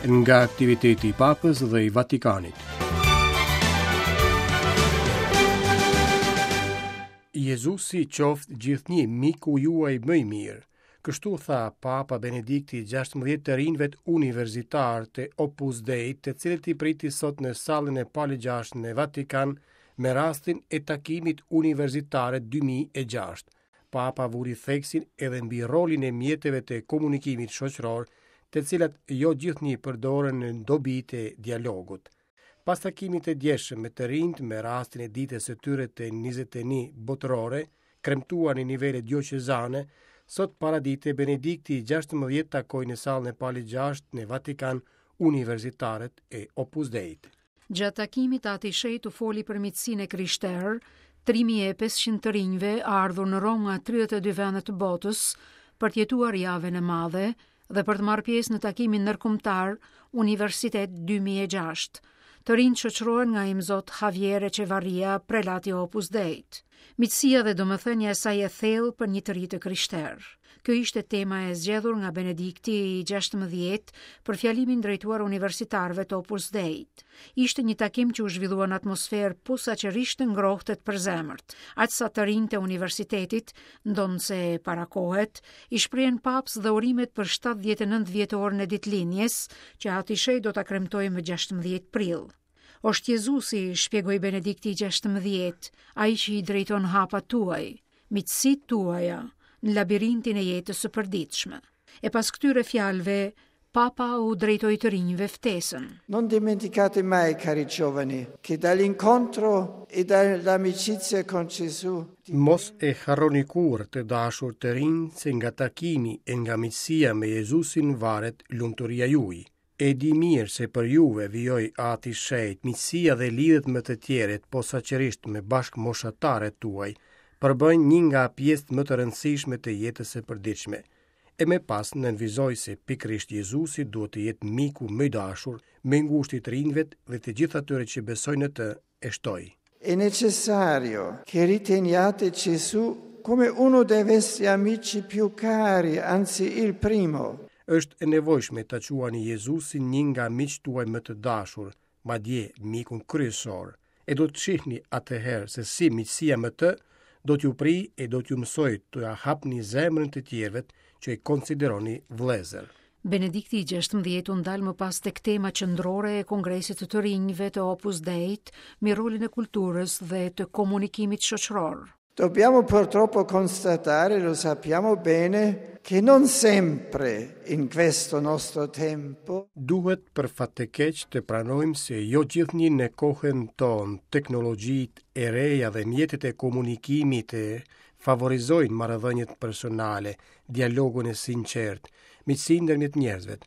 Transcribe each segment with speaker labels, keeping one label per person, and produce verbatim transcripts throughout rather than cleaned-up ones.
Speaker 1: Nga aktiviteti i Papës dhe i Vatikanit. Jezusi qoftë gjithnjë miku juaj më i mirë. Kështu tha Papa Benedikti i gjashtëmbëdhjetë të rinjve universitarë të Opus Dei, të cilët i priti sot në sallën e Palit gjashtë në Vatikan me rastin e takimit universitare dy mijë e gjashtë. Papa vuri theksin edhe mbi rolin e mjeteve të komunikimit shoqëror, të cilat jo gjithnjë përdoren në dobi të dialogut. Pas takimit të djeshëm me të rinjt me rastin e ditës së tyre të njëzet e një botërore, kremtuar në nivele dioqezane, sot paradite Benedikti i gjashtëmbëdhjetë takoi në sallën e Palit gjashtë në Vatikan universitarët e Opus Deit.
Speaker 2: Gjatë takimit, Ati i Shenjtë u foli për miqësinë e krishterë, tri mijë e pesëqind të rinjve ardhur në Romë nga tridhjetë e dy vende të botës për të jetuar javën e madhe dhe për të marrë pjesë në takimin ndërkombëtar Universitet dy mijë e gjashtë. Të rinjt shoqërohen nga imzot Javier Echevarria, prelati Opus Deit. Miqësia dhe domethënia e saj e thellë për një të ri të krishterë. Kjo ishte tema e zgjedhur nga Benedikti i gjashtëmbëdhjetë për fjalimin drejtuar universitarëve të Opus Deit. Ishte një takim që u zhvillua në atmosferë posaçërisht të ngrohtë e të përzemërt, aq sa të rinjtë e universitetit, ndonëse parakohet, i shprehen paps dhe urimet për shtatëdhjetë e nëntë vjetorin e ditëlindjes, që Ati i Shenjtë do ta kremtojë më gjashtëmbëdhjetë prill. Është Jezusi, shpjegoi Benedikti i gjashtëmbëdhjetë, ai që i drejton hapat tuaj, miqësitë tuaja, në labirintin e jetës së përditshme. E pas këtyre fjalëve, Papa u drejtoi të rinjve ftesën.
Speaker 3: Non dimenticate mai, cari giovani, che dall'incontro e dall'amicizia con Gesù
Speaker 1: Mos e harroni kurrë, të dashur të rinj, se nga takimi e nga miqësia me Jezusin varet lumturia juaj. E di mirë se për juve, vijoi Ati i Shenjtë, miqësia dhe lidhjet me të tjerët, posaçërisht me bashkëmoshatarët tuaj, përbëjnë një nga pjesët më të rëndësishme të jetës së përditshme. E me pas nënvizoi se pikërisht Jezusi duhet të jetë miku më i dashur, më i ngushtë i të rinjve dhe të gjithë atyre që besojnë në të, e shtoi.
Speaker 3: È necessario che riteniate Gesù come uno dei vostri amici più cari, anzi il primo.
Speaker 1: Është e nevojshme ta quani Jezusin një nga miqtë tuaj më të dashur, madje mikun kryesor. E do të shihni atëherë se si miqësia me të do t'ju prijë e do t'ju mësojë t'ia hapni zemrën të tjerëve që i konsideroni vëllezër.
Speaker 2: Benedikti i gjashtëmbëdhjetë u ndal më pas tek tema qendrore e Kongresit të të Rinjve të Opus Deit, mbi rolin e kulturës dhe të komunikimit shoqëror.
Speaker 3: Dobbiamo purtroppo constatare, lo sappiamo bene, che non sempre in questo nostro tempo
Speaker 1: Duhet për fat të keq të pranojmë se jo gjithnjë në kohën tonë teknologjitë e reja dhe mjetet e komunikimit e favorizojnë marrëdhëniet personale, dialogun e sinqert, miqësinë ndërmjet njerëzve.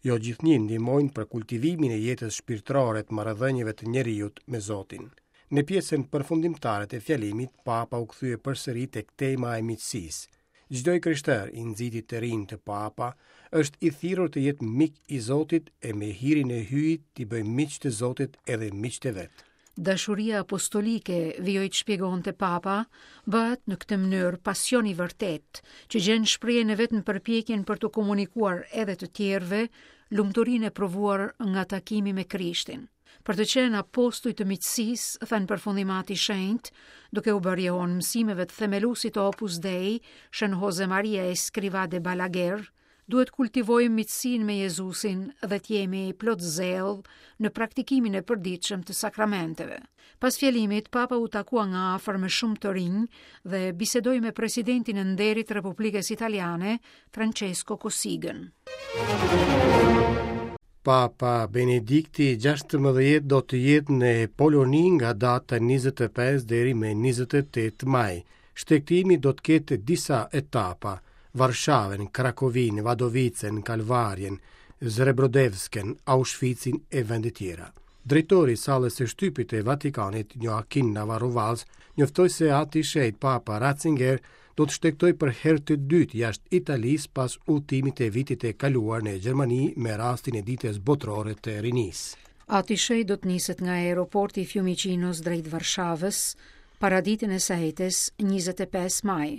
Speaker 1: Jo gjithnjë ndihmojnë për kultivimin e jetës shpirtërore të marrëdhënieve të njeriut me Zotin. Në pjesën përfundimtare të fjalimit, Papa u kthye përsëri tek tema e miqësisë. Çdo i krishter i nxiti të rinj të Papa është i thirrur të jetë mik i Zotit e me hirin e Hyjit t'i bëjë miq të Zotit edhe miqtë e vet.
Speaker 2: Dashuria apostolike, vijoi të shpjegonte Papa, bëhet në këtë mënyrë pasion i vërtet, që gjen shprehjen e vet në përpjekjen për të komunikuar edhe të tjerëve lumturinë e provuar nga takimi me Krishtin. Për të qenë apostuj të miqësisë, tha në përfundim Ati i Shenjtë, duke u bërë jehon mësimeve të themeluesit të Opus Dei, Shën Jose Maria Escrivá de Balaguer, duhet kultivojmë miqësinë me Jezusin dhe të jemi plot zell në praktikimin e përditshëm të sakramenteve. Pas fjalimit, Papa u takua nga afër me shumë të rinj dhe bisedoi me presidentin e nderit të Republikës Italiane, Francesco Cossigan.
Speaker 1: Papa Benedikti i gjashtëmbëdhjetë do të jetë në Poloni nga data njëzet e pesë deri më njëzet e tetë maj. Shtegtimi do të ketë disa etapa: Varshavën, Krakovin, Vadovicën, Kalvarjen, Zrebrodevsken, Auschwitzin e vende tjera. Drejtori i sallës së shtypit të Vatikanit, Joaquin Navarro Valls, njoftoi se Ati i Shenjtë Papa Ratzinger do të shtegtojë për herë të dytë jashtë Italisë pas udhëtimit të vitit të kaluar në Gjermani me rastin e ditës botërore të rinisë.
Speaker 2: Ati i Shenjtë do të niset nga aeroporti i Fiumicinos drejt Varshavës paraditën e së enjtes njëzet e pesë maj.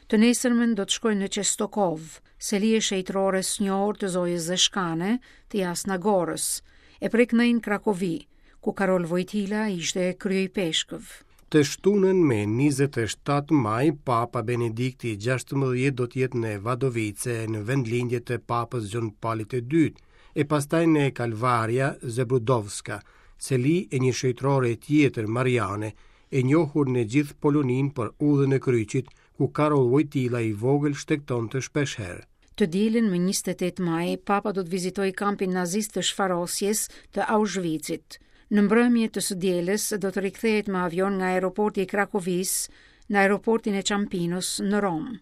Speaker 2: Të nesërmen do të shkojë në Çestokov, seli e shenjtërores së njohur të Zojës Zeshkane të Jasna Gorës, e prej këndej në Krakovi, ku Karol Vojtila ishte kryeipeshkëv.
Speaker 1: Të shtunën me njëzet e shtatë maj, Papa Benedikti gjashtëmbëdhjetë do të jetë në Vadovice, në vendlindje të Papës Gjon Palit të dytë, e pastaj në Kalvaria Zebrudovska, seli e një shenjtërore tjetër Mariane, e njohur në gjithë Poloninë për udhën e kryqit, ku Karol Vojtila i vogël shtegtonte shpesh herë.
Speaker 2: Të dielën më njëzet e tetë maj, Papa do të vizitojë kampin nazist të shfarosjes të Auschwitzit. Në mbrëmje të së dielës do të rikthehet me avion nga aeroporti i Krakovisë në aeroportin e Ciampinos në Romë.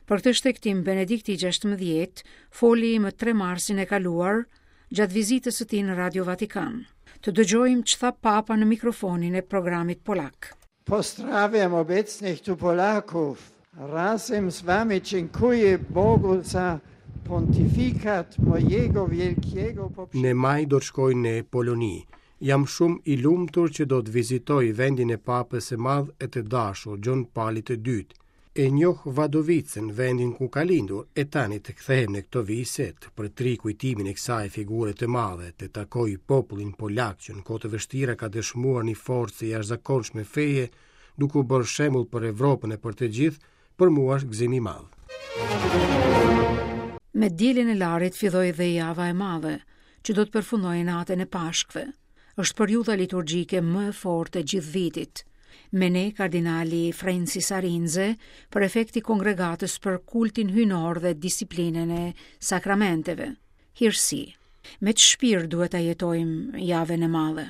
Speaker 2: Për këtë shtegtim, Benedikti gjashtëmbëdhjetë foli më tre marsin e kaluar gjatë vizitës së tij në Radio Vatikan. Të dëgjojmë ç'tha Papa në mikrofonin e programit polak.
Speaker 3: Pozdrawiam obecnych tu Polaków. Razem z wami dziękuję Bogu za pontifikat mojego wielkiego poprzednika.
Speaker 1: Në maj do të shkoj në Poloni. Jam shumë i lumtur që do të vizitoj vendin e Papës së Madh e të dashur, Gjon Palit të dytë. E njoh Vadovicën, vendin ku ka lindur, e tani të kthehem në këto vise, të përtri kujtimin e kësaj figure të madhe, të takoj popullin polak që në kohë të vështira ka dëshmuar një forcë të jashtëzakonshme feje, duke u bërë shembull për Evropën e për të gjithë, për mua është gëzim i madh.
Speaker 2: Me dielën e Larit filloi dhe java e madhe, që do të përfundojë natën e Pashkëve. Është periudha liturgjike më e fortë e gjithë vitit. Me ne kardinali Francis Arinze, prefekti kongregatës për kultin hyjnor dhe disiplinën e sakramenteve. Hirësi, me të shpirt duhet ta jetojmë javën e madhe.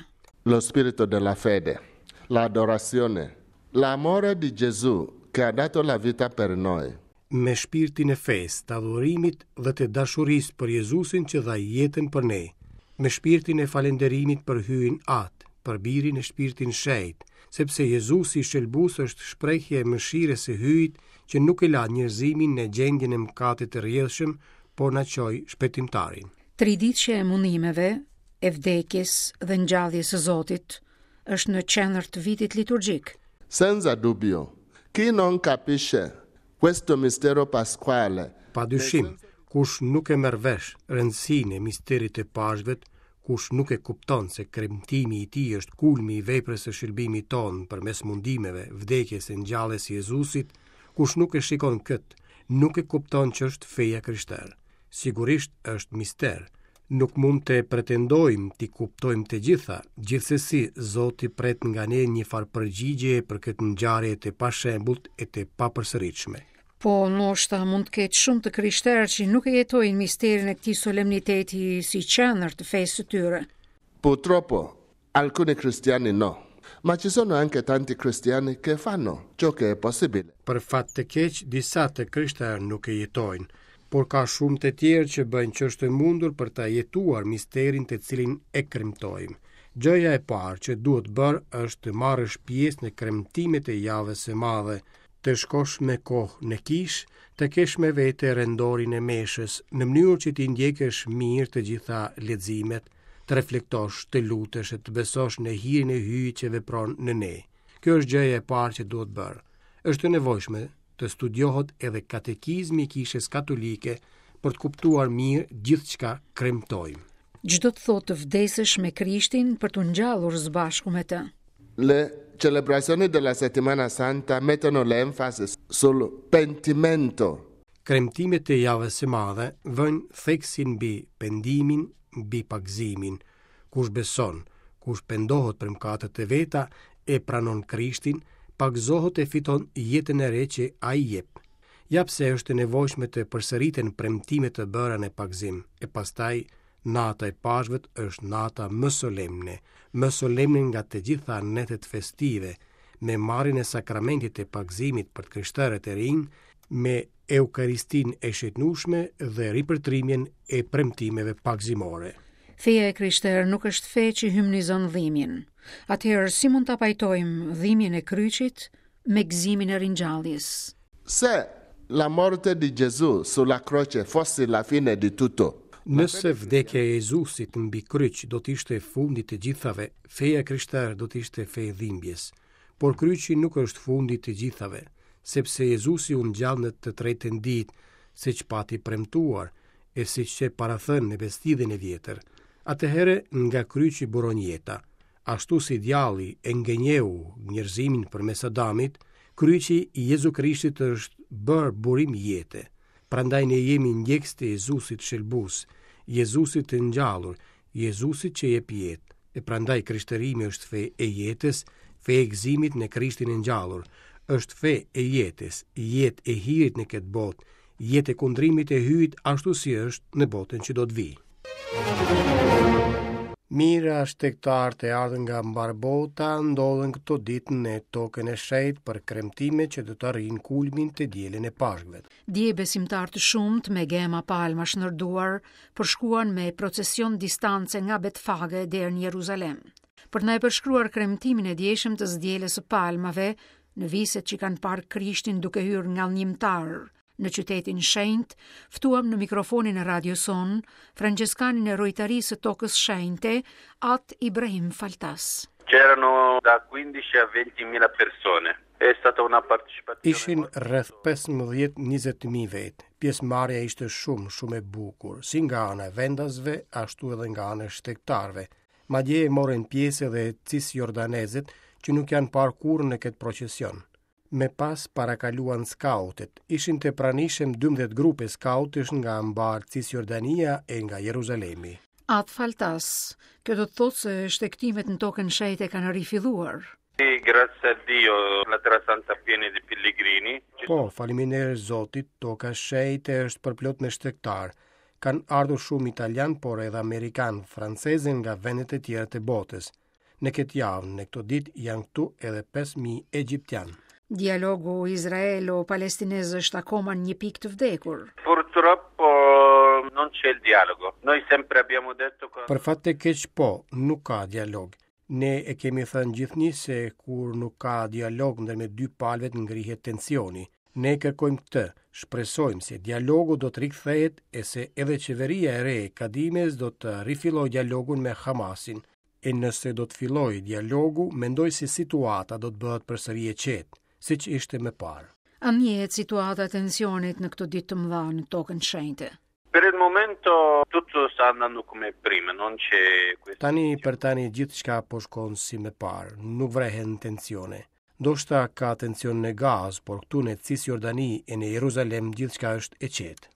Speaker 4: Lo spirito della fede, l'adorazione, l'amore di Gesù che ha dato la vita per noi.
Speaker 1: Me shpirtin e fesë, të adhurimit dhe të dashurisë për Jezusin që dha jetën për ne, me shpirtin e falënderimit për Hyjin Atë, për Birin e Shpirtin Shenjt, sepse Jezusi shëlbues është shprehje e mëshirës së Hyjit që nuk e la njerëzimin në gjendjen e mëkatit të rrjedhshëm, por na çoi shpëtimtarin.
Speaker 2: Tri ditëshe e mundimeve, e vdekjes dhe ngjalljes së Zotit është në qendër të vitit liturgjik.
Speaker 4: Senza dubbio, chi non capisce questo mistero pasquale,
Speaker 1: Pa dyshim, kush nuk e merr vesh rëndësinë e misterit të Pashkëve, kush nuk e kupton se kremtimi i tij është kulmi i veprës së shëlbimit ton përmes mundimeve, vdekjes e ngjalljes së Jezusit, kush nuk e shikon këtë, nuk e kupton që është feja krishterë. Sigurisht është mister. Nuk mund të pretendojmë t'i kuptojmë të gjitha, gjithsesi Zoti pret nga ne një farë përgjigje për këtë ngjarje të pashembullt e të papërsëritshme.
Speaker 2: Po, ndoshta mund të ketë shumë të krishterë që nuk e jetojnë misterin e këtij solemniteti si qendër të fesë së tyre.
Speaker 4: Purtroppo, alcuni cristiani no, ma ci sono anche tanti cristiani che fanno ciò che è possibile.
Speaker 1: Për fat të keq, disa të krishterë nuk e jetojnë, por ka shumë të tjerë që bëjnë ç'është e mundur për ta jetuar misterin të cilin e kremtojmë. Gjëja e parë që duhet bërë është të marrësh pjesë në kremtimet e javës së madhe, të shkosh me kohë në kishë, të kesh me vete rendorin e meshës, në mënyrë që t'i ndjekësh mirë të gjitha leximet, të reflektosh, të lutesh e të besosh në hirin e Hyjit që vepron në ne. Kjo është gjëja e parë që duhet bërë. Është e nevojshme të studiohet edhe katekizmi i Kishës Katolike për të kuptuar mirë gjithçka kremtojmë.
Speaker 2: Ç'do të thotë të vdesësh me Krishtin për t'u ngjallur së bashku me të?
Speaker 4: Le celebrazioni della Settimana Santa mettono l'enfasi sul pentimento.
Speaker 1: Kremtimet e javës së madhe vënë theksin mbi pendimin, mbi pagëzimin. Kush beson, kush pendohet për mëkatet e veta, e pranon Krishtin, pagëzohet e fiton jetën e re që ai jep. Ja pse është e nevojshme të përsëriten premtimet e bëra në pagëzim, e pastaj nata e Pashkëve është nata më solemne, më solemne nga të gjitha netët festive, me marrjen e sakramentit të pagëzimit për të krishterët e rinj, me Eukaristinë e shëtnueshme dhe ripërtrimin e premtimeve pagëzimore.
Speaker 2: Feja e krishterë nuk është fe që hymnizon dhimbjen. Atëherë si mund ta pajtojmë dhimbjen e kryqit me gëzimin e ringjalljes?
Speaker 4: Se la morte di Gesù sulla croce fosse la fine di tutto,
Speaker 1: Nëse vdekja e Jezusit mbi kryq do të ishte fundi të gjithave, feja e krishterë do të ishte fe e dhimbjes. Por kryqi nuk është fundi të gjithave, sepse Jezusi u ngjall në të tretën ditë, siç pati premtuar, e siç qe parathënë në Besëlidhjen e vjetër. Atëherë nga kryqi buron jeta. Ashtu si djalli e ngenjeu njerëzimin përmes Adamit, kryqi i Jezu Krishtit është bërë burim jete. Prandaj ne jemi ndjekës të Jezusit shëlbues, Jezusit të ngjallur, Jezusit që jep jetë. E prandaj krishterimi është fe e jetës, fe e gëzimit në Krishtin e ngjallur, është fe e jetës, jetë e hirit në këtë botë, jetë e kundrimit e Hyjit ashtu si është në botën që do të vijë. Mijëra shtegtarë të ardhur nga mbarë bota ndodhen këto ditë në tokën e shenjtë për kremtime që do të arrijnë kulmin të dielën e Pashkëve.
Speaker 2: Dje besimtarë të shumtë me gema palmash në duar përshkuan me procesion distance nga Betfage deri në Jeruzalem. Për të na e përshkruar kremtimin e djeshëm të së dielës së palmave, në viset që kanë parë Krishtin duke hyrë ngadhnjimtar në qytetin shenjt, ftuam në mikrofonin e radios sonë Françeskanin e Rojtarisë së Tokës Shenjte, At Ibrahim Faltas.
Speaker 5: C'erano da quindici a venti mila persone. È stata una partecipazione
Speaker 1: Ishin rreth pesëmbëdhjetë njëzet mijë vetë. Pjesëmarrja ishte shumë, shumë e bukur, si nga ana e vendasve, ashtu edhe nga ana e shtegtarëve. Madje morën pjesë edhe cisjordanezët që nuk janë parë kurrë në këtë procesion. Me pas parakaluan skautet. Ishin të pranishëm dymbëdhjetë grupe skautësh nga mbarë Cisjordania e nga Jeruzalemi.
Speaker 2: At Faltas, kjo do të thotë se shtegtimet në tokën shenjte kanë rifilluar.
Speaker 5: Sì, grazie a Dio, la Terra Santa piena di pellegrini.
Speaker 1: Po, faleminderit Zotit, toka shenjte është përplot me shtegtar. Kanë ardhur shumë italian, por edhe amerikan, francezë nga vendet e tjera të botës. Në këtë javë, në këto ditë, janë këtu edhe pesë mijë egjiptian.
Speaker 2: Dialogu izraelo-palestinez është akoma në një pikë të vdekur.
Speaker 5: Purtroppo non c'è il dialogo. Noi sempre abbiamo detto che
Speaker 1: Për fat të keq po, nuk ka dialog. Ne e kemi thënë gjithnjë se kur nuk ka dialog ndërmjet dy palëve ngrihet tensioni. Ne kërkojmë këtë, shpresojmë se dialogu do të rikthehet e se edhe qeveria e re e Kadimes do të rifillojë dialogun me Hamasin. E nëse do të fillojë dialogu, mendoj se situata do të bëhet përsëri e qetë, siç ishte më parë.
Speaker 2: A njihet situata e tensionit në këto ditë të mëdha në tokën shenjte?
Speaker 5: Per il momento tutto sta andando come prima, non c'è questo.
Speaker 1: Tani për tani gjithçka po shkon si më parë, nuk vrehen tensione. Ndoshta ka tension në Gazë, por këtu në Cisjordani e në Jeruzalem gjithçka është e qetë.